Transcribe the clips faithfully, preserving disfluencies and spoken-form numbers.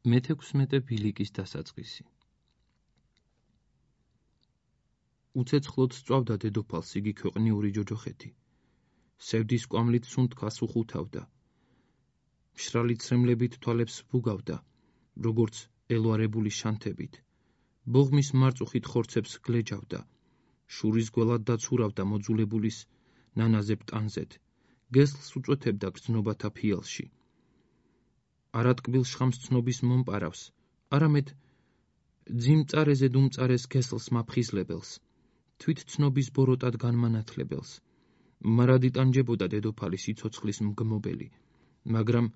მეთექვსმეტე ბილიკის დასაწყისი. უცეცხლოდ სწვავდა დედოფალს იგი ქვეყნიური ჯოჯოხეთი. სევდის კვამლით სუნთქას უხუთავდა. მშრალი ცრემლებით თვალებს ვუგავდა, როგორც ელვარებული შანთებით. ბოღმის მარწუხით ხორცებს გლეჯავდა. შურის გველად დაცურავდა მოძულებულის ნანაზე პტანზეთ. გესლს უწვეთებდა გრძნობათა ფიალში. არატკბილ შხამს ცნობის მომპარავს, არამედ ძიმწარეზე დუმწარეს გესლს მაფხიზლებელს, თვით ცნობის ბოროტად განმანათლებელს. მარად იტანჯებოდა დედოფალი სიცოცხლის მგმობელი, მაგრამ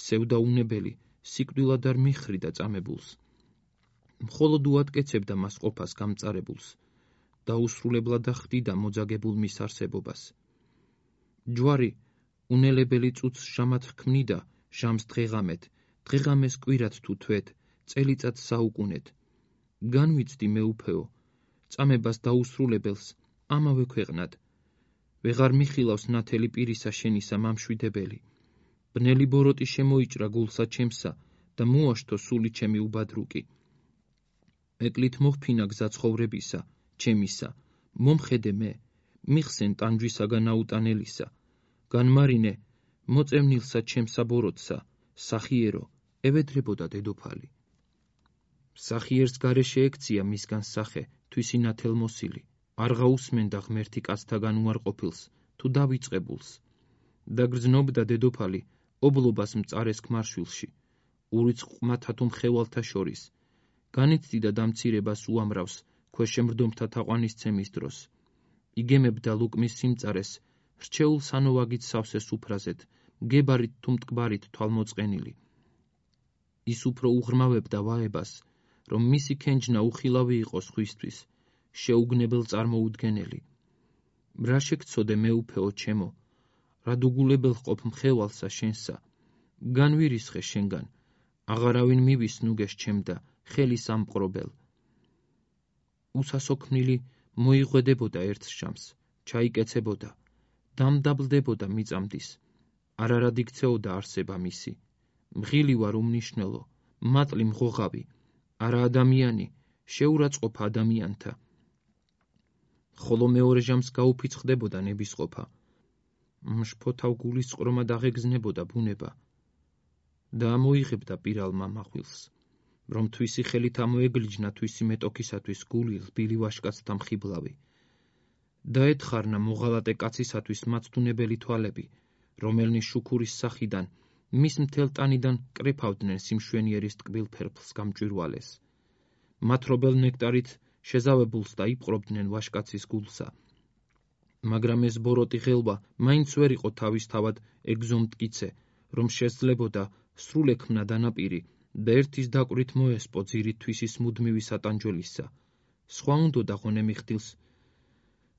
სევდაუნებელი სიკვდილად არ მიხრიდა წამებულს. მხოლოდ უატკეცებდა მას ყოფას გამწარებულს, დაუსრულებლად ხვდიდა მოძაგებულ მის არსებობას. ჯვარი უნელებელი წუთს ჟამად ჰქმნიდა ჟამს დღეღამეთ, დღეღამეს კვირად თუ თვეთ, წელიწადს საუკუნეთ. განვიცდი მეუფეო, წამებას დაუსრულებელს ამავე ქვეყნად. ვეღარ მიხილავს ნათელი პირისა შენისა მამშვიდებელი. ბნელი ბოროტი შემოიჭრა გულსა ჩემსა და მოაშთო სული ჩემი უბადრუკი. ეკლით მოჰფინა გზა ცხოვრებისა, ჩემისა, მომხედე მე, მიხსენ ტანჯვისაგან აუტანელისა. განმარინე, მოწევნილსა ჩემსა ბოროტსა, სახიერო, ევედრებოდა დედოფალი. სახიერს გარეშე ექცია მისგან სახე, თვისი ნათელმოსილი. არ გაუსმენდა ღმერთი კაცთაგან უარყოფილს, თუ დავიწყებულს. დაგრძნობდა დედოფალი, ობლობას მწარეს ქმარშვილში, ურიცხყმათა თუ მხევალთა შორის. განიცდიდა დამცირებას უამრავს, ქვეშემრდომთა თაყვანისცემის დროს. იგემებდა ლუკმის სიმწარეს, რჩეულ სანოვაგით სავსე სუფრაზეთ, გებარით თუ მტკბარით თვალმოწყენილი. ის უფრო უღრმავებდა ვაებას, რომ მისი ქენჯნა უხილავი იყოს ხვისთვის, შეუგნებელ წარმოუდგენელი. რა შეგცოდე მეუფეო ჩემო, რა დუგულებელ ყოფ მხევალსა შენსა, განვირისხე შენგან, აღარავინ მივის ნუგეს ჩემდა, ხელის ამპყრობელ. უსასოქმნილი მოიღვედებოდა ერთ ჟამს, ჩაიკეცებოდა, დამდაბლდებოდა მიწამდის, არარად იქცეოდა არსება მისი. მღილი ვარ უმნიშვნელო, მატლი მღოღავი, არა ადამიანი, შეურაცხყოფა ადამიანთა. ხოლო მეორე ჟამს გაუფიცხდებოდა ნებისყოფა. მშფოთავ გულის წყრომად აღეგზნებოდა ბუნება და ამოიღებდა პირალმა მახვილს, რომ თვისი ხელით ამოეგლიჯნა თვისი მეტოქისათვის გული რბილი ვაშკაცთა მხიბლავი. დაეთხარნა მოღალატე კაცისათვის მაცდუნებელი თვალები, რომელნი შუქურის სახიდან მის მთელ ტანიდან კრეფავდნენ სიმშვენიერის ტკბილ ფერფლს გამჭვირვალეს. მათრობელ ნექტარით შეზავებულს და იპყრობდნენ ვაშკაცის გულსა. მაგრამ ეს ბოროტი ღელვა მაინც ვერ იყო თავისთავად ეგზომტკიცე, რომ შესძლებოდა სრულექმნა დანაპირი და ერთის დაკვრით მოესპო ძირით თვისის მუდმივი სატანჯველისა. სხვა უნდოდა ღონემიხდილს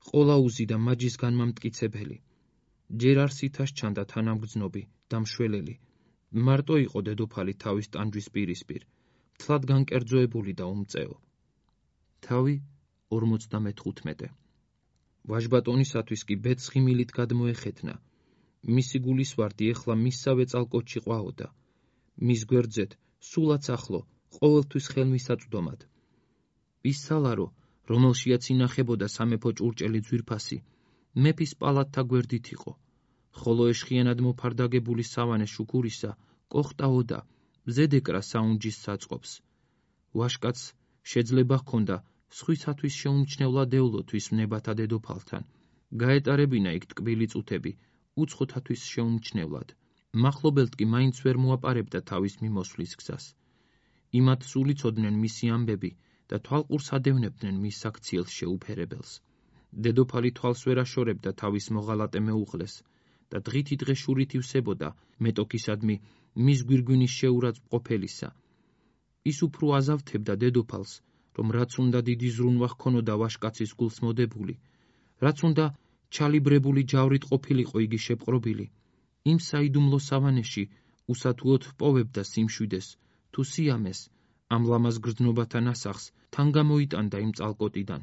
ყოლაუზი და მაჯის განმამტკიცებელი. ჯერ არ სითას ჩანდა თანამგრძნობი და მშველელი. მარტო იყო დედოფალი თავის ტანჯვის პირისპირ, მთლად განკერძოებული და უმწეო. თავი ორმოცდამეთხუთმეტე. ვაჟბატონისათვის კი ბედს ღიმილით გადმოეხეთნა. მისი გულისვარდი ეხლა მისსავე წალკოჩი ყვაოდა. მის გვერდზეთ სულაც ახლო, ყოველთვის ხელმისაწვდომად. ის სალარო, რომელშიაც ინახებოდა სამეფო ჭურჭელი ძვირფასი, მეფის პალატთა გვერდით იყო, ხოლო ეშხიანად მოფარდაგებული სავანე შუქურისა კოხტაოდა, ზედეკრა საუნჯის საწყობს. ვაშკაცს შეძლება ჰქონდა სხვისათვის შეუმჩნევლად ევლოთვის ნებათა დედოფალთან, გაეტარებინა იქ ტკბილი წუთები, უცხოთათვის შეუმჩნევლად. მახლობელთ კი მაინც ვერ მოაპარებდა თავის მიმოსვლის გზას. იმათ სულ იცოდნენ მისი ამბები და თვალყურს ადევნებდნენ მის საქციელს შეუფერებელს. დედოფალი თვალს ვერ აშორებდა თავის მოღალატე მეუღლეს და დღითი დღე შურით ივსებოდა მეტოქისადმი მის გვირგვინის შეურაცხყოფელისა. ის უფრო აზავთებდა დედოფალს, რომ რაც უნდა დიდი ზრუნვა ჰქონოდა ვაშკაცის გულს მოდებული, რაც უნდა ჩალიბრებული ჯავრით ყოფილიყო იგი შეპყრობილი, იმ საიდუმლო სავანეში უსათუოდ ჰპოვებდა სიმშვიდეს თუ სიამეს, ამ ლამაზ გრძნობათა ნასახს თან გამოიტანდა იმ წალკოტიდან.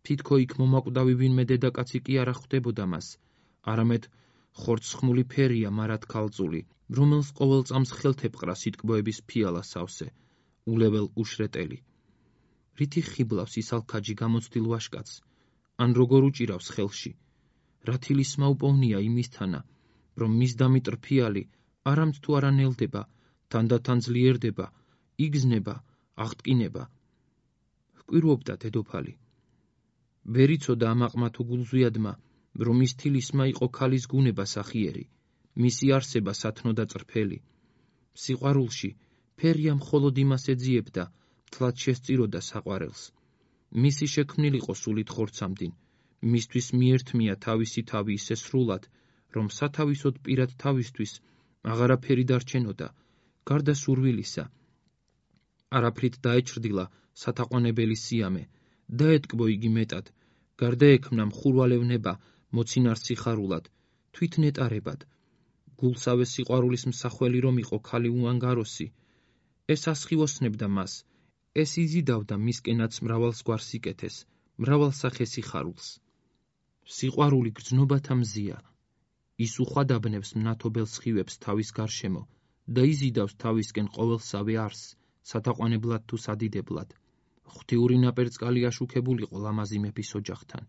თითქო იქ მომაკვდავი ვინმე დედაკაცი კი არ ხვდებოდა მას, არამედ ხორცხმული ფერია მარათქალწული, რომელს ყოველ წამს ხელთეპყრა სიტკბოების ფიალა სავსე, ულებელ უშრეტელი. რითი ხიბლავს ის ალქაჯი გამოცდილ ვაშკაცს, ან როგორ უჭირავს ხელში, რა თილისმა უპოვნია იმისთანა, რომ მის დამიტრ ფიალი არამც თუ არა ნელდება, თანდათან ძლიერდება, იგზნება, აღტკინება. ჰკვირვობდა დედოფალი. ვერ იცოდა ამ აყმათო გულზვიადმა, რომ ის თილისმა იყო ქალის გუნება სახიერი, მისი არსება სათნო და წრფელი. სიყვარულში ფერია მხოლოდ იმას ეძიებდა, თლად შესწიროდა საყვარელს. მისი შექმნილიყო სულით ხორცამდინ, მისთვის მიერთმია თავისი თავი ისე სრულად, რომ სათავისოდ პირად თავისთვის აღარაფერი დარჩენოდა, გარდა სურვილისა. არაფრით დაეჩრდილა სათაყვანებელი სიამე, დაეთკბო იგი მეტად, გარდა ექმნა მხურვალევნება მოცინარ სიხარულად, თვით ნეტარებად. გულსავე სიყვარულის მსახველი რომ იყო ქალი უანგაროსი, ეს ასხივოსნებდა მას, ეს იზიდავდა მისკენაც მრავალს გვარ სიკეთეს, მრავალ სახე სიხარულს. სიყვარული გრძნობათა მზია, ის უხვადაბნებს მნათობელ სხივებს თავის გარშემო და იზიდავს თავისკენ ყოველსავე არსს, სათაყვანებლად თუ სადიდებლად. ღვთიური ნაპერწკალი აშუქებულიყო ლამაზი მეფის ოჯახთან.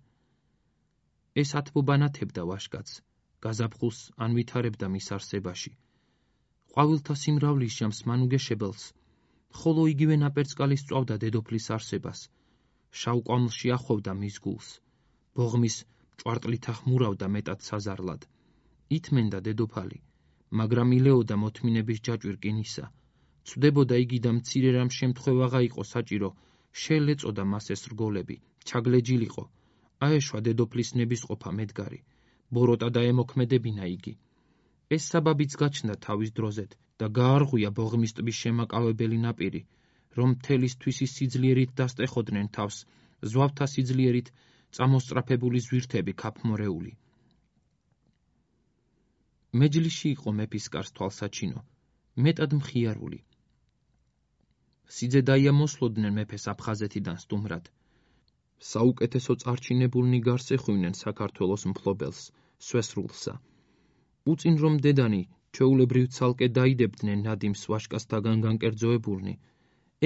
ეს ათბობანათებდა ვაშკაცს, გაზაფხულს ან ვითარებდა მის არსებაში. ყვავილთა სიმრავლის ჟამს მანუგეშებელს, ხოლო იგივე ნაპერწკალი სწვავდა დედოფლის არსებას, შავ ყვამლში ახვევდა მის გულს, ბოღმის ჭვარტლით ახმურავდა მეტად საზარლად. ითმენდა დედოფალი, მაგრამ ილეოდა მოთმინების ჯაჭვი რკინისა. ცვდებოდა იგი და მცირე რამ შემთხვევაღა იყო საჭირო, შეელეწოდა მას ეს რგოლები, ჩაგლეჯილიყო, აეშვა დედოფლის ნებისყოფა მედგარი, ბოროტა დაემოქმედებინა იგი. ეს საბაბიც გაჩნდა თავის დროზეთ და გაარღვია ბოღმის ტბის შემაკავებელი ნაპირი, რომ მთელი თვისის სიძლიერით დასტეხოდნენ თავს, ზვავთა სიძლიერით წამოსწრაფებული ზვირთები ქაფმორეული. მეჯლისში იყო მეფის კარს თვალსაჩინო, მეტად მხიარული. სიძედაია მოსლოდნენ მეფეს აფხაზეთიდან სტუმრად. საუკეთესო წარჩინებულნი გარს ეხვივნენ საქართველოს მფლობელს, სვესრულსა. უწინ რომ დედანი ჩვეულებრივ ცალკე დაიდებდნენ ნადიმს ვაშკაცთაგან განკერძოებულნი,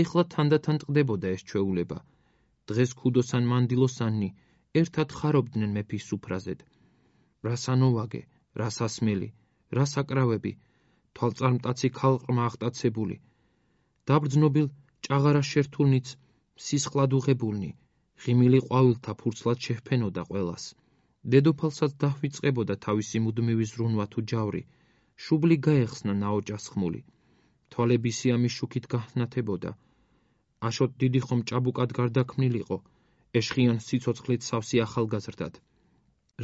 ეხლა თანდათან ტყდებოდა ეს ჩვეულება. დღეს ქუდოსან მანდილოსანნი ერთად ხარობდნენ მეფის სუფრაზედ. რასანოვაგე, რასასმელი, რასაკრავები, თვალწარმტაცი ქალყრმა აღტაცებული, დაბრძნობილ ჭაღარა შერთულნიც სისხლად უღებულნი, ღიმილი ყვავილთა ფურცლად შეჰფენოდა ყველას. დედოფალსაც დაჰვიწყებოდა თავისი მუდმივი ზრუნვა თუ ჯავრი, შუბლი გაეხსნა ნაოჭას ხმული. თვალები სიამის შუქით გაჰნათებოდა. აშოტ დიდი ხომ ჭაბუკად გარდაქმნილიყო, ეშხიან სიცოცხლით სავსე ახალგაზრდად.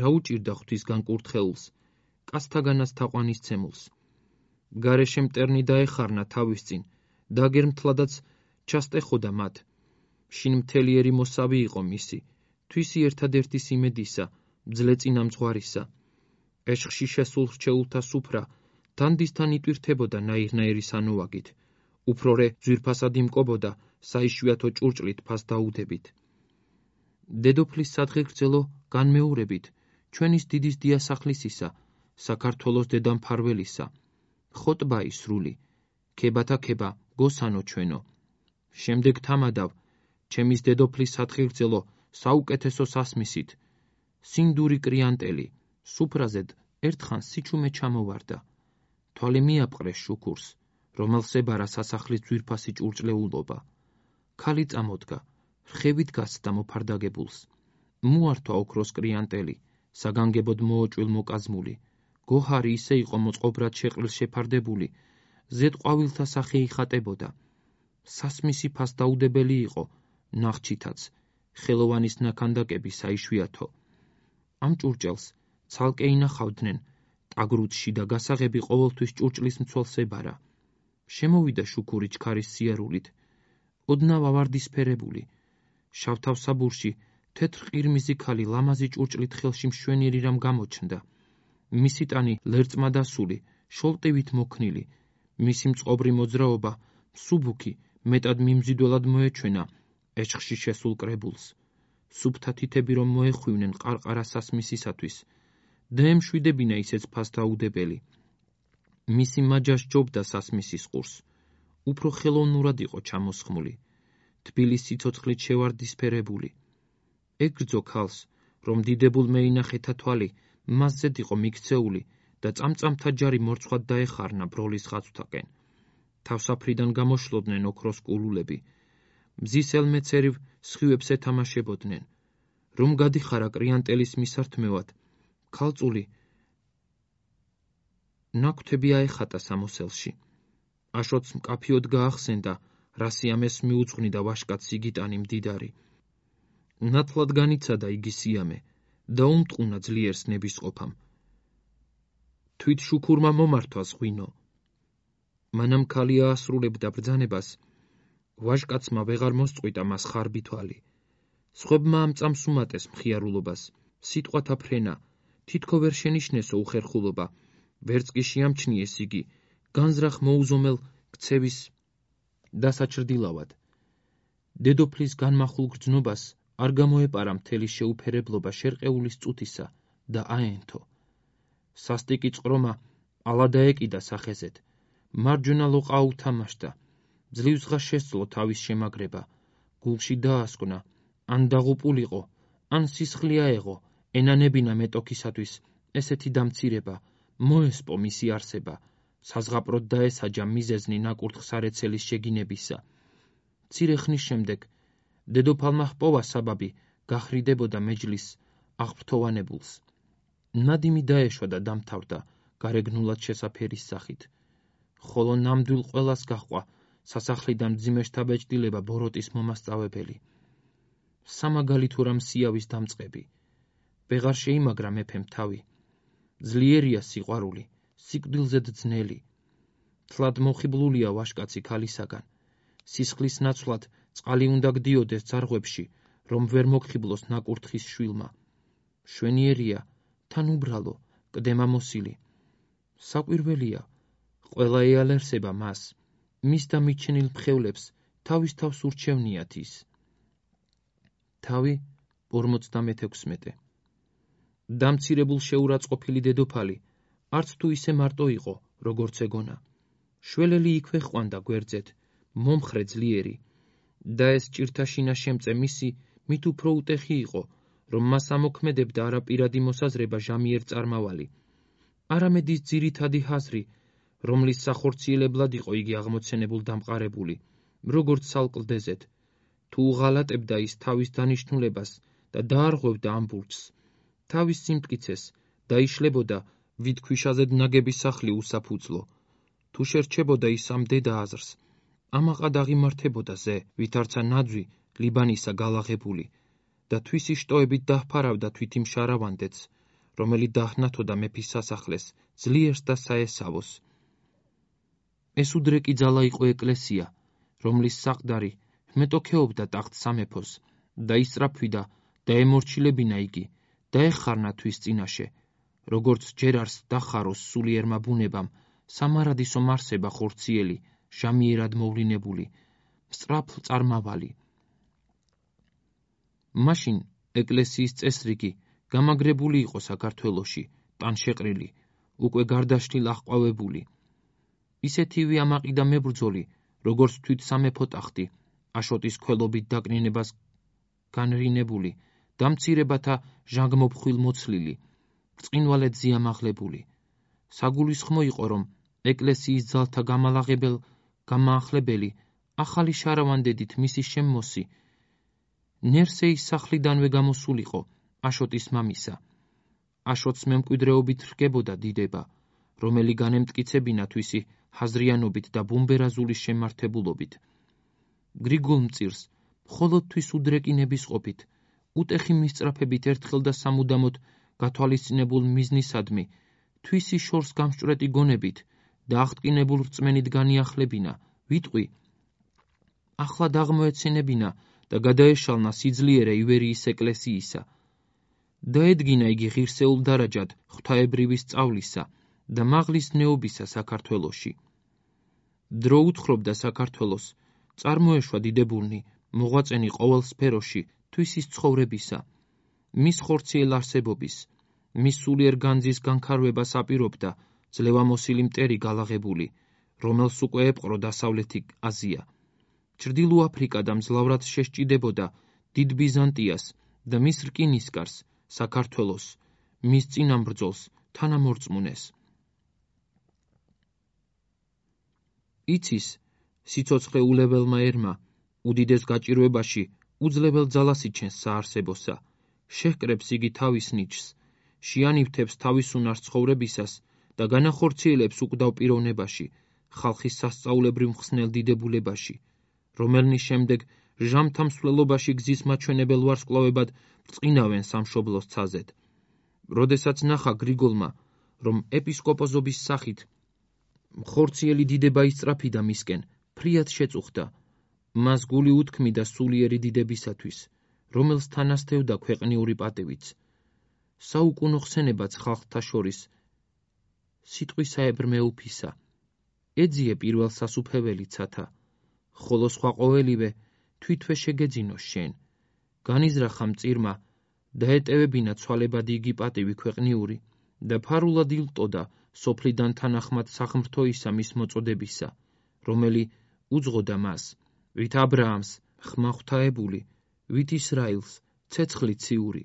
რა უჭირდა ღვთის განკურთხეულს, კაცთაგანაც თაყვანისცემულს. გარეშე მტერნი დაეხარნა თავის წინ, დაგერმთლადაც ჩასტეხოდა მათ. შინ მთელიერი მოსავი იყო მისი, თვისი ერთადერთი სიმედისა, მძლე წინამძღვარისა. ეშხში შესულ რჩეულთა სუფრა დანდისთან იტვირთებოდა ნაირნაირი სანუაგით, უფრორე ძვირფასად იმკობოდა საიშვიათო ჭურჭლით ფას დაუდებით. დედოფლის სადღეგრძელო განმეორებით, ჩვენის დიდის დიასახლისისა, საქართველოს დედამფარველისა, ხოტბაი სრული, ქებათა ქება, გოსანო ჩვენო. შემდეგ თამადავ, ჩემის დედოფლის სადღეგრძელო საუკეთესო სასმისით, სინდური კრიანტელი, სუფრაზედ ერთხან სიჩუმე ჩამოვარდა. თვალე მიაპყრეს შუქურს, რომელს ებარა სასახლის ძვირფასი ჭურჭლეულობა. ქალი წამოდგა, რხევით გასცდა მოფარდაგებულს. მოართვა ოქროს კრიანტელი, საგანგებოდ მოოჭვილ მოკაზმული. გოჰარი ისე იყო მოწყობრად შეყრილ შეფარდებული, ზედ ყვავილთა სახე იხატებოდა. სასმისი ფას დაუდებელი იყო, ნახჩითაც, ხელოვანის ნაქანდაკები საიშვიათო. ამ ჭურჭელს ცალკე ინახავდნენ ტაგრუცში და გასაღები ყოველთვის ჭურჭლის მცველს ებარა. შემოვიდა შუქური ჩქარის სიარულით, ოდნავ ავარდისფერებული, შავთავსაბურში თეთრ ყირმიზი ქალი ლამაზი ჭურჭლით ხელში მშვენიერი რამ გამოჩნდა. მისი ტანი ლერწმა დასული, შოლტივით მოქნილი, მისი მწყობრი მოძრაობა მსუბუქი მეტად მიმზიდველად მოეჩვენა ეშხში შესულ კრებულს. სუფთა თითები რომ მოეხვივნენ ყარყარა სასმისისათვის, დაემშვიდებინა ისეც ფასდაუდებელი. მისი მაჯა სჯობდა სასმისის ყურს. უფრო ხელოვნურად იყო ჩამოსხმული, თბილი სიცოცხლით შევარდისფერებული. ეგრძო ქალს, რომ დიდებულმა ინახეთა თვალი მასზედ იყო მიქცეული და წამწამთა ჯარი მორცხვად დაეხარნა ბროლის ხაცვთაყენ. თავსაფრიდან გამოშლოდნენ ოქროს კულულები. მზის ელმეცერივ სხივებს ეთამაშებოდნენ. რომ გადიხარა კრიანტელის მისართმევად, ქალწული ნაკვთები აეხატა სამოსელში. აშოტს მკაფიოდ გაახსენდა, რა სიამეს მიუძღვნიდა ვაშკაც სიგიტანი მდიდარი. ნათლად განიცადა იგი სიამე და უმტყუნა ძლიერს ნებისყოფამ. თვით შუქურმა მომართვას ღვინო. მანამ ქალი აასრულებდა ბრძანებას, ვაჟკაცმა ვეღარ მოსწყვიტა მას ხარბი თვალი. სხვებმა ამ წამს უმატეს მხიარულობას, სიტყვათა ფრენა, თითქო ვერ შენიშნესო უხერხულობა, ვერც კი შეამჩნიეს იგი, განზრახ მოუზომელ ქცევის დასაჩრდილავად. დედოფლის განმახულ გრძნობას არ გამოეპარა მთელი შეუფერებლობა შერყეულის წუთისა და აენთო. სასტიკი წყრომა ალა დაეკიდა სახეზეთ, მარჯვენა ლოყა აუთამაშდა, ძლივსღა შესძლო თავის შემაგრება, გულში დაასკვნა, ან დაღუპულიყო, ან სისხლი აეღო, ენანებინა მეტოქისათვის ესეთი დამცირება, მოესპო მისი არსება, საზღაპროდ დაესაჯა მიზეზნი ნაკურთხსარეცელის შეგინებისა. მცირე ხნის შემდეგ დედოფალმა ჰპოვა საბაბი გახრიდებოდა მეჯლისს აღფრთოვანებულს. ნადიმი დაეშვა და დამთავრდა გარეგნულად შესაფერის სახით. ხოლო ნამდვილ ყველას გაჰყვა სასახლიდან მძიმე შთაბეჭდილება ბოროტის მომასწავებელი. სამაგალითო რამ სიავის დამწყები. ვეღარ შეიმაგრა მეფემ თავი. ძლიერია სიყვარული, სიკვდილზედ ძნელი. თლად მოხიბლულია ვაშკაცი ქალისაგან. სისხლის ნაცვლად წყალი უნდა გდიოდეს ძარღვებში, რომ ვერ მოგხიბლოს ნაკურთხის შვილმა. შვენიერია, თან უბრალო, კდემამოსილი. საკვირველია, ყველა ეალერსება მას, მის და მიჩენილ მხევლებს თავის თავს ურჩევნიათ ის. თავი ორმოცდამექვსმეტე. დამცირებულ შეურაცხყოფილი დედოფალი, არც თუ ისე მარტო იყო, როგორც ეგონა. შველელი იქვე ჰყვანდა გვერდზეთ, მომხრე ძლიერი, და ეს ჭირთაშინა შემწე მისი მით უფრო უტეხი იყო, რომ მას ამოქმედებდა არა პირადი მოსაზრება ჟამიერ წარმავალი, არამედ ის ძირითადი ჰაზრი, რომლის სახორციელებლად იყო იგი აღმოცენებულ დამყარებული, როგორც სალკლდეზეთ, თუ უღალატებდა ის თავის დანიშნულებას და დაარღვევდა ამ ბურჯს, თავის სიმტკიცეს დაიშლებოდა ვით ქვიშაზედ ნაგები სახლი უსაფუძლო, თუ შერჩებოდა ის ამ დედა აზრს, ამაყად აღიმართებოდა ზე, ვით არცა ნაძვი ლიბანისა გალაღებული და თვისი შტოებით დაჰფარავდა თვითი მშარავანდეც, რომელი დაჰნათოდა მეფის სასახლეს, ძლიერს და საესავოს. ეს უდრეკი ძალა იყო ეკლესია, რომლის საყდარი მეტოქეობდა ტახტ სამეფოს და ისწრაფვიდა და ემორჩილებინა იგი და ეხარნა თვის წინაშე, როგორც ჯერარს დახაროს სულიერმა ბუნებამ, სამარადისო მარსება ხორციელი, ჟამიერად მოვლინებული, სწრაფ წარმავალი. მაშინ ეკლესიის წესრიგი გამაგრებული იყო საქართველოში, ტანშეყრილი, უკვე გარდაშლილ აღყვავებული. ისეთივე ამაყიდა მებრძოლი, როგორც თვით სამეფო ტახტი, აშოტის ქველობით დაკნინებას განრინებული, დამცირებათა ჟანგმოფხვილ მოცლილი, ბრწყინვალედ ზიამაღლებული. საგულისხმო იყო, რომ ეკლესიის ძალთა გამალაღებელ გამაახლებელი, ახალი შარავანდედით მისი შემმოსი, ნერსეის სახლიდანვე გამოსულიყო აშოტის მამისა. აშოტს მემკვიდრეობით რგებოდა დიდება, რომელი განემტკიცებინა თვისი ჰაზრიანობით და ბუმბერაზულის შემართებულობით. გრიგოლ მწირს, მხოლოდ თვის უდრეკინების ყოფით, უტეხი მისწრაფებით ერთხელ და სამუდამოდ გათვალისწინებულ მიზნისადმი, თვისი შორს გამსჭვრეტი გონებით და აღტკინებულ რწმენით განიახლებინა, ვიტყვი, ახლად აღმოეცენებინა და გადაეშალნა სიძლიერე ივერიის ეკლესიისა. დაედგინა იგი ღირსეულ დარაჯად ღვთაებრივი სწავლისა და მაღლის ნეობისა საქართველოში. დრო უთხრობდა საქართველოს, წარმოეშვა დიდებულნი, მოღვაწენი ყოველ სფეროში, თვისის ცხოვრებისა, მის ხორციელ არსებობის, მის სულიერ განძის განქარვებას აპირობდა ძლევამოსილი მტერი გალაღებული, რომელს უკვე ეპყრო დასავლეთი აზია. ჩრდილო აფრიკა და მძლავრად შესჭიდებოდა დიდ ბიზანტიას და მის რკინისკარს, საქართველოს, მის წინამბრძოლს თანამორწმუნეს. იცის, სიცოცხლე ულებელმა ერმა, უდიდეს გაჭირვებაში უძლებელ ძალას იჩენს საარსებოსა, შეჰკრებს იგი თავის ნიჩს, შეანივთებს თავის უნარს ცხოვრებისას და განახორციელებს უკვდავ პიროვნებაში, ხალხის სასწაულებრივ მხსნელ დიდებულებაში, რომელნის შემდეგ ჟამთა მსვლელობაში გზის მაჩვენებელ ვარსკვლავებად ბრწყინავენ სამშობლოს ცაზედ. როდესაც ნახა გრიგოლმა, რომ ეპისკოპოსობის სახით მხორციელი დიდება ისწრაფიდა მისკენ, ფრიად შეწუხდა, მას გული უთქმიდა სულიერი დიდებისათვის, რომელს თანასდევდა ქვეყნიური პატივიც. საუკუნო ხსენებაც ხალხთა შორის სიტყვისაებრ მეუფისა, ეძიე პირველ სასუფეველი ცათა, ხოლო სხვა ყოველივე თვითვე შეგეძინოს შენ, განიზრახა მწირმა და ეტევებინა ცვალებადი იგი პატივი ქვეყნიური და ფარულად ილტოდა სოფლიდან თანახმად სახმრთო ისა მის მოწოდებისა, რომელი უძღოდა მას, ვით აბრაამს ხმა ღვთაებული, ვით ისრაილს ცეცხლი ციური,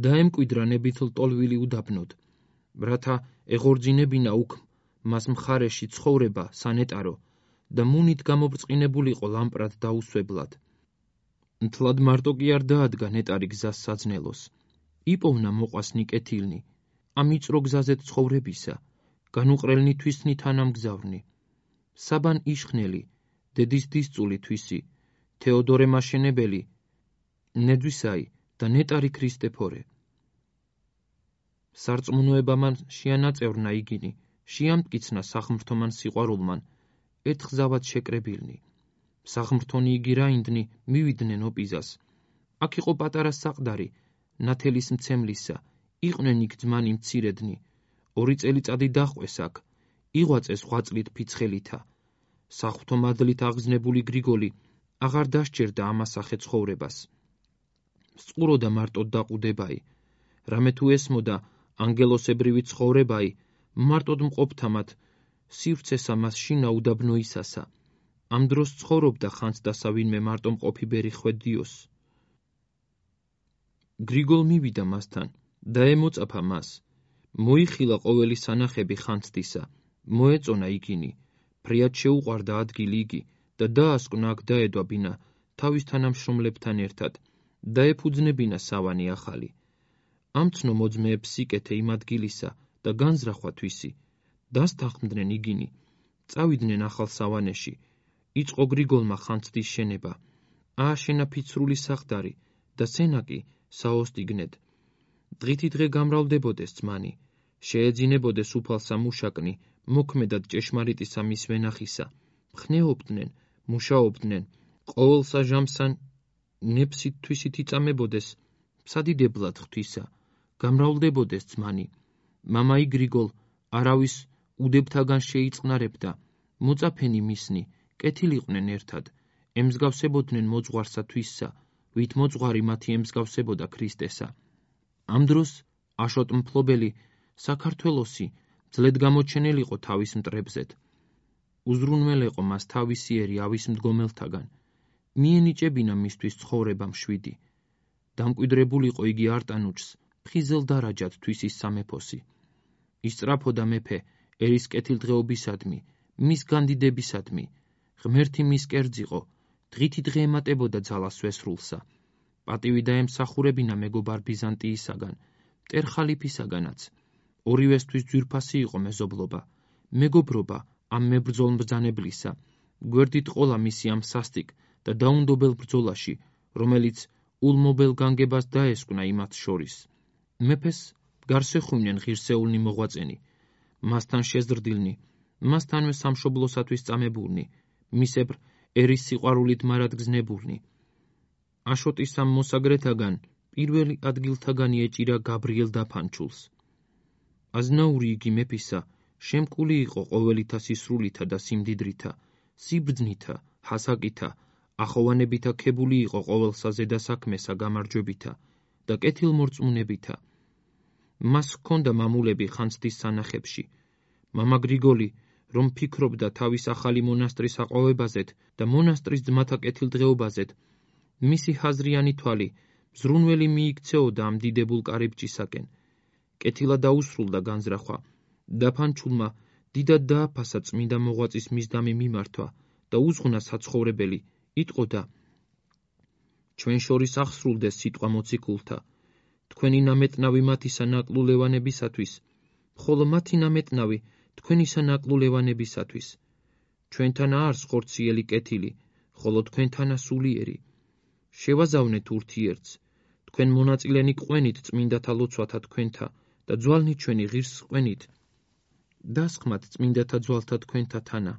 და ემკვიდრა ნებით ლტოლვილი უდაბნოდ, რათა ეღორძინებინა უქმ მას მხარეში ცხოვრება სანეტარო და მუნით გამობრწყინებულიყო ლამპრად დაუსვებლად. მთლად მარტო კი არ დაადგა ნეტარი გზას საძნელოს, იპოვნა მოყვასნი კეთილნი, ამ იწრო გზაზეთ ცხოვრებისა, განუყრელნი თვისნი თანამგზავრნი, საბან იშხნელი, დედის დისწული თვისი, თეოდორე მაშენებელი, ნედვისაი და ნეტარი ქრისტეფორე. სარწმუნოებამან შეანაწევრნა იგინი, შეამტკიცნა სახმრთომან სიყვარულმან, ერთხზავად შეკრებილნი. სახმრთონი იგი რაინდნი მივიდნენ ოპიზას. აქ იყო პატარა საყდარი, ნათელის მცემლისა, იყვნენ იქ ძმანი მცირედნი, ორი წელიწადი დაჰყვეს აქ, იღვაწეს ღვაწლით ფიცხელითა. საღვთო მადლით აღგზნებული გრიგოლი აღარ დასჯერდა ამასახე ცხოვრებას. სწყუროდა მარტოდ დაყუდებაი, რამე თუ ესმოდა ანგელოსებრივი ცხოვრებაი, მარტოდ მყოფთამათ სივრცესა მას შინა უდაბნოისასა. ამ დროს ცხოვრობდა ხანც დასავინმე მარტო მყოფი ბერი ხვედიოს. გრიგოლ მივიდა მასთან და ემოწაფა მას. მოიხილა ყოველი სანახები ხანძთისა, მოეწონა იგინი, ფრიად შეუყვარდა ადგილი იგი და დაასკვნა აქ დაედვაბინა თავის თანამშრომლებთან ერთად და ეფუძნებინა სავანი ახალი. ამცნო მოძმეებს სიკეთე იმ ადგილისა და განზრახვა თვისი, დასთანხმდნენ იგინი, წავიდნენ ახალ სავანეში, იწყო გრიგოლმა ხანძთის შენება, ააშენა ფიცრული საყდარი და სენაკი საოსტიგნედ. დღითი დღე გამრავლდებოდეს ძმანი, შეეძინებოდეს უფალსა მუშაკნი, მოქმედად ჭეშმარიტისა მის ვენახისა, ხნეობდნენ, მუშაობდნენ, ყოველსა ჟამსა ნეფსით თვისით იწამებოდეს, სადიდებლად ღვთისა, გამრავლდებოდეს ძმანი. მამაი გრიგოლ არავის უდებთაგან შეიწყნარებდა, მოწაფენი მისნი, კეთილიყვნენ ერთად, ემსგავსებოდნენ მოძღვარსა თვისსა, ვით მოძღვარი მათი ემსგავსებოდა ქრისტესა. ამ დროს აშოტ მფლობელი საქართველოსი ძლედ გამოჩენილიყო თავის მტრებზეთ. უზრუნველეყო მას თავისიერი ავის მდგომელთაგან, მიენიჭებინა მისთვის ცხოვრება მშვიდი. დამკვიდრებულიყო იგი არტანუჯს, ფხიზელ დარაჯად თვისის სამეფოსი. ისწრაფოდა მეფე ერის კეთილდღეობისადმი, მის განდიდებისადმი, ღმერთი მის კერძიყო, დღითი დღე ემატებოდა ძალას ვესრულსა. პატივი დაემსახურებინა მეგობარ ბიზანტიისაგან, მტერ ხალიფისაგანაც. ორივესთვის ძვირფასი იყო მეზობლობა, მეგობრობა ამ მებრძოლ მბრძანებლისა, გვერდით ყოლა მისი ამ სასტიკ და დაუნდობელ ბრძოლაში, რომელიც ულმობელ განგებას დაესკვნა იმათ შორის. მეფეს გარსეხუნნენ ღირსეულნი მოღვაწენი, მასთან შეზრდილნი, მასთანვე სამშობლოსათვის წამებულნი, მისებრ ერის სიყვარულით მარადგზნებულნი. აშოტის ამ მოსაგრეთაგან პირველი ადგილთაგანი ეჭირა გაბრიელ დაფანჩულს. აზნაური იგი მეფისა, შემკული იყო ყოველითა სისრულითა და სიმდიდრითა, სიბრძნითა, ჰასაკითა, ახოვანებითა ქებული იყო ყოველსა ზედა საქმესა გამარჯვებითა და კეთილმორწმუნებითა. მას ჰქონდა მამულები ხანძთის სანახებში. მამა გრიგოლი, რომ ფიქრობდა თავის ახალი მონასტრის აყვავებაზეთ და მონასტრის ძმათა კეთილდღეობაზეთ, მისი ჰაზრიანი თვალი მზრუნველი მიიქცეოდა ამ დიდებულ კარიბჭისაკენ. კეთილად დაუსრულდა განზრახვა. დაფანჩულმა დიდად დააფასა წმინდა მოღვაწის მისდამი მიმართვა და უზღნა საცხოვრებელი, იტყოდა: ჩვენ შორის აღსრულდეს სიტყვა მოციქულთა, თქვენი ნამეტნავი მათისა ნაკლულევანებისათვის, ხოლო მათი ნამეტნავი თქვენისა ნაკლულევანებისათვის. ჩვენთან არს ხორციელი კეთილი, ხოლო თქვენთანა სულიერი. შევაზავნეთ ურთიერთს, თქვენ მონაწილენი ყვენით წმინდათა ლოცვათა თქვენთა და ძვალნი ჩვენი ღირს ყვენით. დასხმათ წმინდათა ძვალთა თქვენთა თანა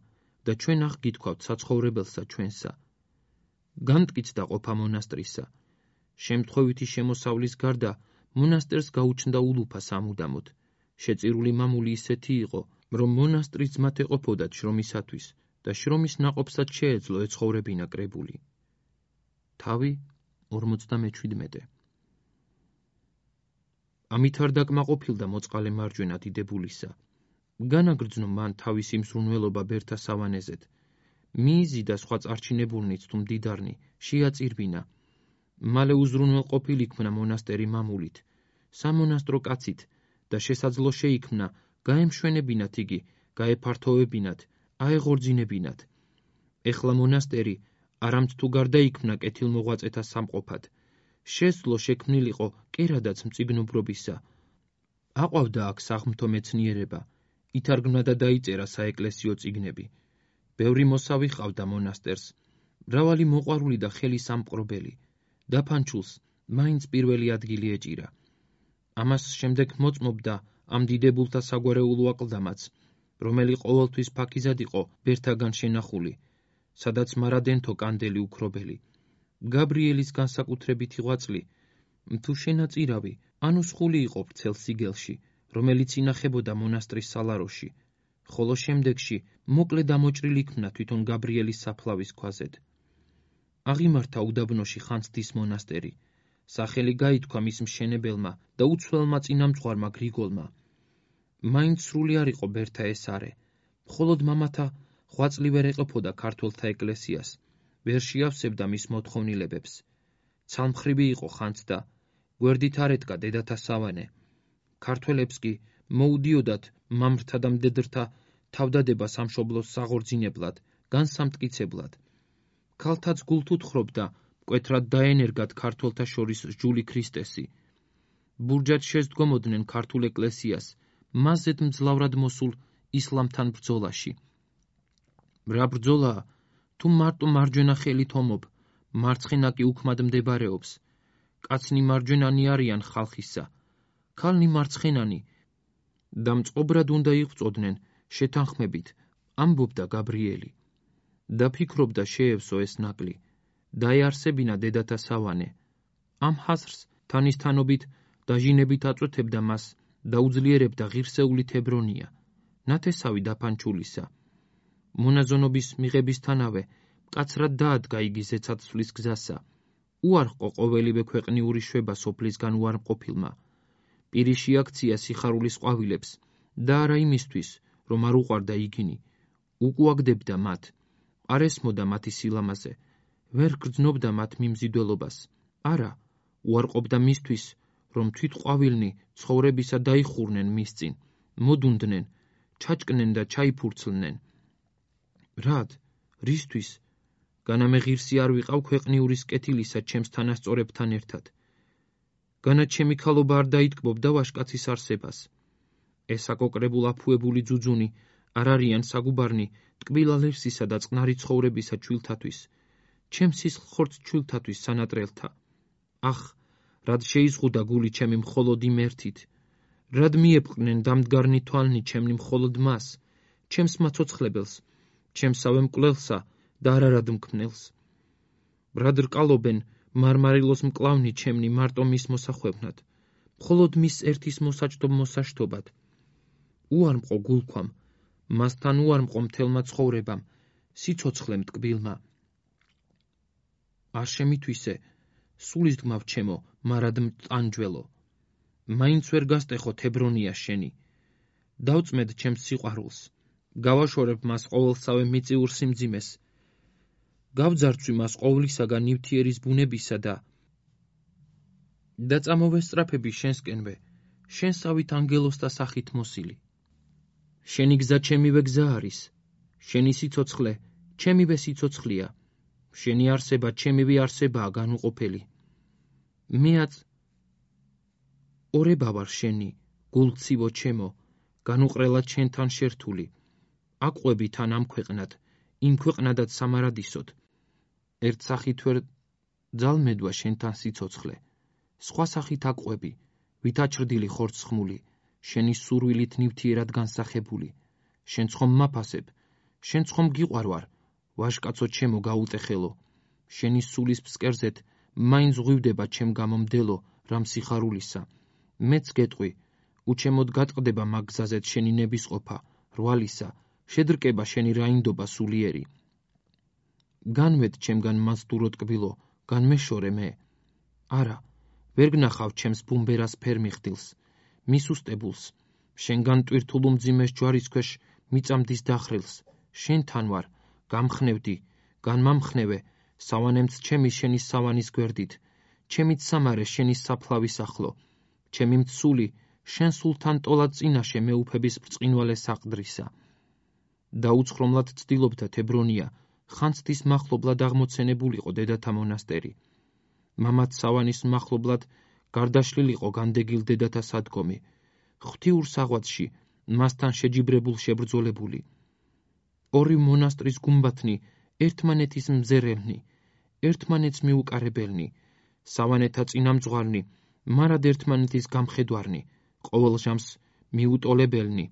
და ჩვენ აღგითქვავთ საცხოვრებელსა ჩვენსა. განმტკიცდა ყოფა მონასტრისა. შემთხვევითი შემოსავლის გარდა მონასტერს გაუჩნდა ულუფა სამუდამოდ. შეწირული მამული ისეთი იყო, რომ მონასტრის ძმათ ეყოფოდათ შრომისათვის და შრომის ნაყოფსაც შეეძლო ეცხოვრებინა კრებული. თავი ორმოცდამეჩვიდმეტე. ამით არ დაკმაყოფილდა მოწყალე მარჯვენა დიდებულისა. განაგრძნო მან თავისი მზრუნველობა ბერთა სავანეზეთ. მიიზიდა სხვა წარჩინებულნიც თუ მდიდარნი, შეაწირბინა. მალე უზრუნველ ყოფილ იქმნა მონასტერი მამულით, სამონასტრო კაცით და შესაძლო შეიქმნა გაემშვენებინათ იგი, გაეფართოვებინათ, აეღორძინებინათ. ეხლა მონასტერი არამც თუ გარდაიქმნა კეთილმოღვაწეთა სამყოფად, შესძლო შექმნილიყო კერადაც მწიგნობრობისა. აყვავდა აქ საღმრთო მეცნიერება, ითარგმნა და დაიწერა საეკლესიო წიგნები. ბევრი მოსავი ჰყავდა მონასტერს, მრავალი მოყვარული და ხელი სამპყრობელი. დაფანჩულს მაინც პირველი ადგილი ეჭირა. ამას შემდეგ მოწმობდა ამ დიდებულთა საგვარეულო აკლდამაც, რომელი ყოველთვის ფაქიზად იყო ბერთაგან შენახული, სადაც მარადენთო კანდელი უქრობელი. გაბრიელის განსაკუთრებითი ღვაწლი, თუ შენაწირავი, ანუ სხული იყო ვრცელ სიგელში, რომელიც ინახებოდა მონასტრის სალაროში, ხოლო შემდეგში მოკლე დამოჭრილი იქმნა თვითონ გაბრიელის საფლავის ქვაზედ. აღიმართა უდაბნოში ხანძთის მონასტერი. სახელი გაითქვა მის მშენებელმა და უცვლელმა წინამძღვარმა გრიგოლმა. მაინც სრული არ იყო ბერთა ეს არე, მხოლოდ მამათა ღვაწლი ვერ ეყოფოდა ქართველთა ეკლესიას, ვერ შეავსებდა მის მოთხოვნილებებს. ცალმხრივი იყო ხანძთა, გვერდით არ ედგა დედათა სავანე. ქართველებს კი მოუდიოდათ მამრთა და მდედრთა თავდადება სამშობლოს საღორძინებლად, განსამტკიცებლად. ქალთაც გულთ უთხრობდა მკვეთრად დაენერგათ ქართველთა შორის სჯული ქრისტესი. ბურჯად შესდგომოდნენ ქართულ ეკლესიას, მასზედ მძლავრად მოსულ ისლამთან ბრძოლაში. რა ბრძოლაა, თუ მარტო მარჯვენა ხელით ომობ, მარცხენა კი უქმად მდებარეობს. კაცნი მარჯვენანი არიან ხალხისა, ქალნი მარცხენანი და მწყობრად უნდა იღვწოდნენ შეთანხმებით, ამბობდა გაბრიელი. დაფიქრობდა შეევსო ეს ნაკლი, დაეარსებინა დედათა სავანე. ამ ჰაზრს თანისთანობით დაჟინებით აწვეთებდა მას და უძლიერებდა ღირსეული თებრონია, ნათესავი დაფანჩულისა. მონაზონობის მიღებისთანავე მკაცრად დაადგა იგი ზეცაცვლის გზასა. უარყო ყოველივე ქვეყნიური შვება სოფლისგან უარმყოფილმა. პირი შეაქცია სიხარულის ყვავილებს და არა იმისთვის, რომ არ უყვარდა იგინი. უკუაგდებდა მათ, არ ესმოდა მათი სილამაზე, ვერ გრძნობდა მათ მიმზიდველობას. არა, უარყოფდა მისთვის, რომ თვით ყვავილნი ცხოვრებისა დაიხურნენ მის წინ, მოდუნდნენ, ჩაჭკნენ და ჩაიფურცლნენ. რად? რისთვის? განა მე ღირსი არ ვიყავ ქვეყნიურის კეთილისა ჩემს თანასწორებთან ერთად. განა ჩემი ქალობა არ დაიტკბობდა ვაჟკაცის არსებას. ეს აკოკრებულ აფუებული ძუძუნი არ არიან საგუბარნი ტკბილა ლერსისა და წყნარი ცხოვრებისა ჩვილთათვის, ჩემ სისხლხორცს ჩვილთათვის სანატრელთა. ახ, რად შეიზღუდა გული ჩემი მხოლოდ იმ ერთით, რად მიეპყრნენ დამდგარნი თვალნი ჩემნი მხოლოდ მას, ჩემს მაცოცხლებელს, ჩემსავე მკვლელსა და არარად მქმნელს. რად რკალობენ მარმარილოს მკლავნი ჩემნი მარტო მის მოსახვევნად, მხოლოდ მის ერთის მოსაჭდო მოსაშთობად. უარმყო გულქვამ, მასთან უარმყო მთელმა ცხოვრებამ, სიცოცხლემ ტკბილმა. არ შემითვისე, სულისდგმავ ჩემო, მარად მტანჯველო. მაინც ვერ გასტეხო თებრონია შენი. დავწმედ ჩემს სიყვარულს, გავაშორებ მას ყოველსავე მიწიურ სიმძიმეს, გავძარცვი მას ყოვლისაგან ნივთიერის ბუნებისა და და წამოვესწრაფები შენსკენვე, შენსავით ანგელოსთა სახით მოსილი. შენი გზა ჩემივე გზა არის, შენი სიცოცხლე ჩემივე სიცოცხლეა, შენი არსება ჩემივე არსებაა განუყოფელი. მეაც ორება ვარ შენი, გულცივო ჩემო, განუყრელად შენთან შერთული. აყვები თან ამ ქვეყნად, იმ ქვეყნადაც სამარადისოდ. ერთ სახით ვერ ძალმედვა შენთან სიცოცხლე, სხვა სახით აყვები, ვითაჩრდილი ხორცხმული, შენი სურვილით ნივთიერად განსახებული. შენ ცხომ მაფასებ, შენ ცხომ გიყვარვარ, ვაჟკაცო ჩემო გაუტეხელო. შენი სულის ფსკერზეთ მაინც ღვივდება ჩემ გამომდელო რამ სიხარულისა. მეც გეტყვი, უჩემოდ გატყდება მაგ გზაზეთ შენი ნებისყოფა, რვალისა, შედრკება შენი რაინდობა სულიერი. განვედ ჩემგან მასდურო ტკბილო, განმეშორე მე. არა, ვერ გნახავ ჩემს ბუმბერას ფერმიხდილს, მისუსტებულს, შენგან ტვირთულ უმძიმეს ჯვარის ქვეშ მიწამდის დახრილს. შენთან ვარ, გამხნევდი, განმამხნევე, სავანემც ჩემი შენი სავანის გვერდით, ჩემიც სამარე შენი საფლავის ახლო, ჩემი მცული შენ სულთან ტოლად წინაშე მეუფების ბრწყინვალე საყდრისა. დაუცხრომლად ცდილობდა თებრონია, ხანძთის მახლობლად აღმოცენებულიყო დედათა მონასტერი. მამაც სავანის მახლობლად გარდაშლილიყო განდეგილ დედათა სადგომი, ღვთიურ საღვაწში მასთან შეჯიბრებულ შებრძოლებული. ორი მონასტრის გუმბათნი ერთმანეთის მზერელნი, ერთმანეთს მიუკარებელნი, სავანეთა წინამძღვარნი, მარად ერთმანეთის გამხედვარნი, ყოველ ჟამს მიუტოლებელნი,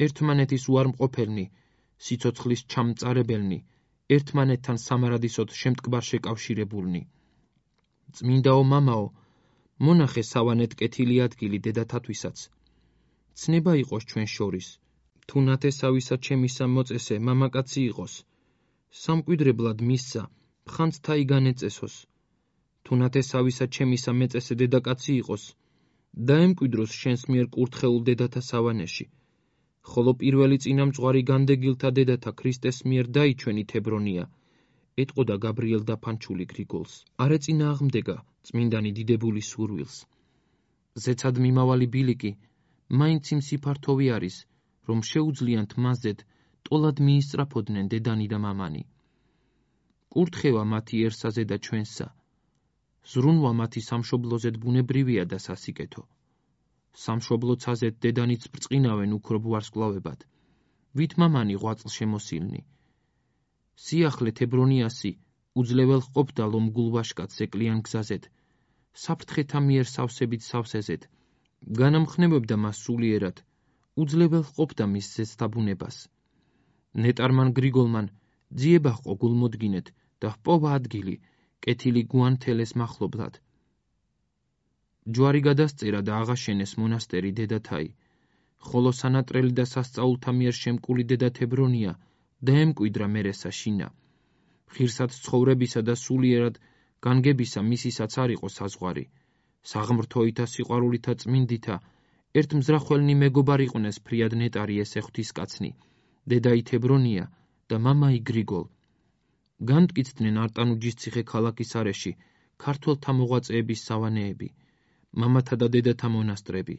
ერთმანეთის უარმყოფელნი, სიცოცხლის ჩამწარებელნი, ერთმანეთთან სამარადისოდ შემტკბარ შეკავშირებულნი. წმინდაო მამაო, მონახე სავანეთ კეთილი ადგილი დედათათვისაც. ცნება იყოს ჩვენ შორის, თუ ნათესავისა ჩემისა მოწესე მამაკაცი იყოს, სამკვიდრებლად მისცა, ხანძთა იგანეწესოს. თუ ნათესავისა ჩემისა მეწესე დედაკაცი იყოს, დაემკვიდროს შენს მიერ კურთხეულ დედათა სავანეში, ხოლო პირველი წინამძღვარი განდეგილთა დედათა ქრისტეს მიერ დაიჩვენი თებრონია, ეტყოდა გაბრიელ დაფანჩული გრიგოლს. არ ეწინააღმდეგა წმინდანი დიდებული სურვილს. ზეცად მიმავალი ბილიკი მაინც იმ სიფართოვი არის, რომ შეუძლიათ მასზედ ტოლად მიისწრაფოდნენ დედანი და მამანი. კურთხევა მათიერსაზე და ჩვენსა, ზრუნვა მათი სამშობლოზედ ბუნებრივია და სასიკეთო. სამშობლოცაზეთ დედანიც ბრწყინავენ უქრობ ვარსკვლავებად, ვით მამანი ღვაწლ შემოსილნი. სიახლე თებრონიასი უძლეველ ყოფდა ლომგულ ვაშკაც ეკლიან გზაზეთ, საფრთხეთა მიერ სავსებით სავსეზეთ, განამხნევებდა მას სულიერად, უძლეველ ყოფდა მის ზესთაბუნებას. ნეტარმან გრიგოლმან ძიება ჰყო გულმოდგინეთ და ჰპოვა ადგილი კეთილი გუანთელეს მახლობლად. ჯვარი გადასწერა და აღაშენეს მონასტერი დედათაი, ხოლო სანატრელი და სასწაულთა მიერ შემკული დედა თებრონია დაემკვიდრა მერესა შინა. ღირსად ცხოვრებისა და სულიერად განგებისა მისისაც არ იყო საზღვარი, საღმრთოითა სიყვარულითა წმინდითა ერთ მზრახველნი მეგობარ იყვნენ ფრიად ნეტარი ესე ღვთისკაცნი, დედაი თებრონია და მამაი გრიგოლ. განმტკიცდნენ არტანუჯის ციხე ქალაქის არეში ქართველთა მოღვაწეების სავანეები, მამათა და დედათა მონასტრები.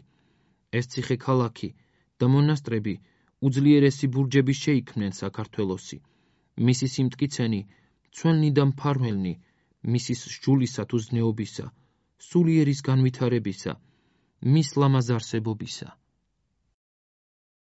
ეს ციხე ქალაქი და მონასტრები უძლიერესი ბურჯები შეიქმნენ საქართველოსი, მისი სიმტკიცენი მცველნი და მფარველნი, მისის სჯულისა თუ ზნეობისა, სულიერის განვითარებისა, მის ლამაზ არსებობისა.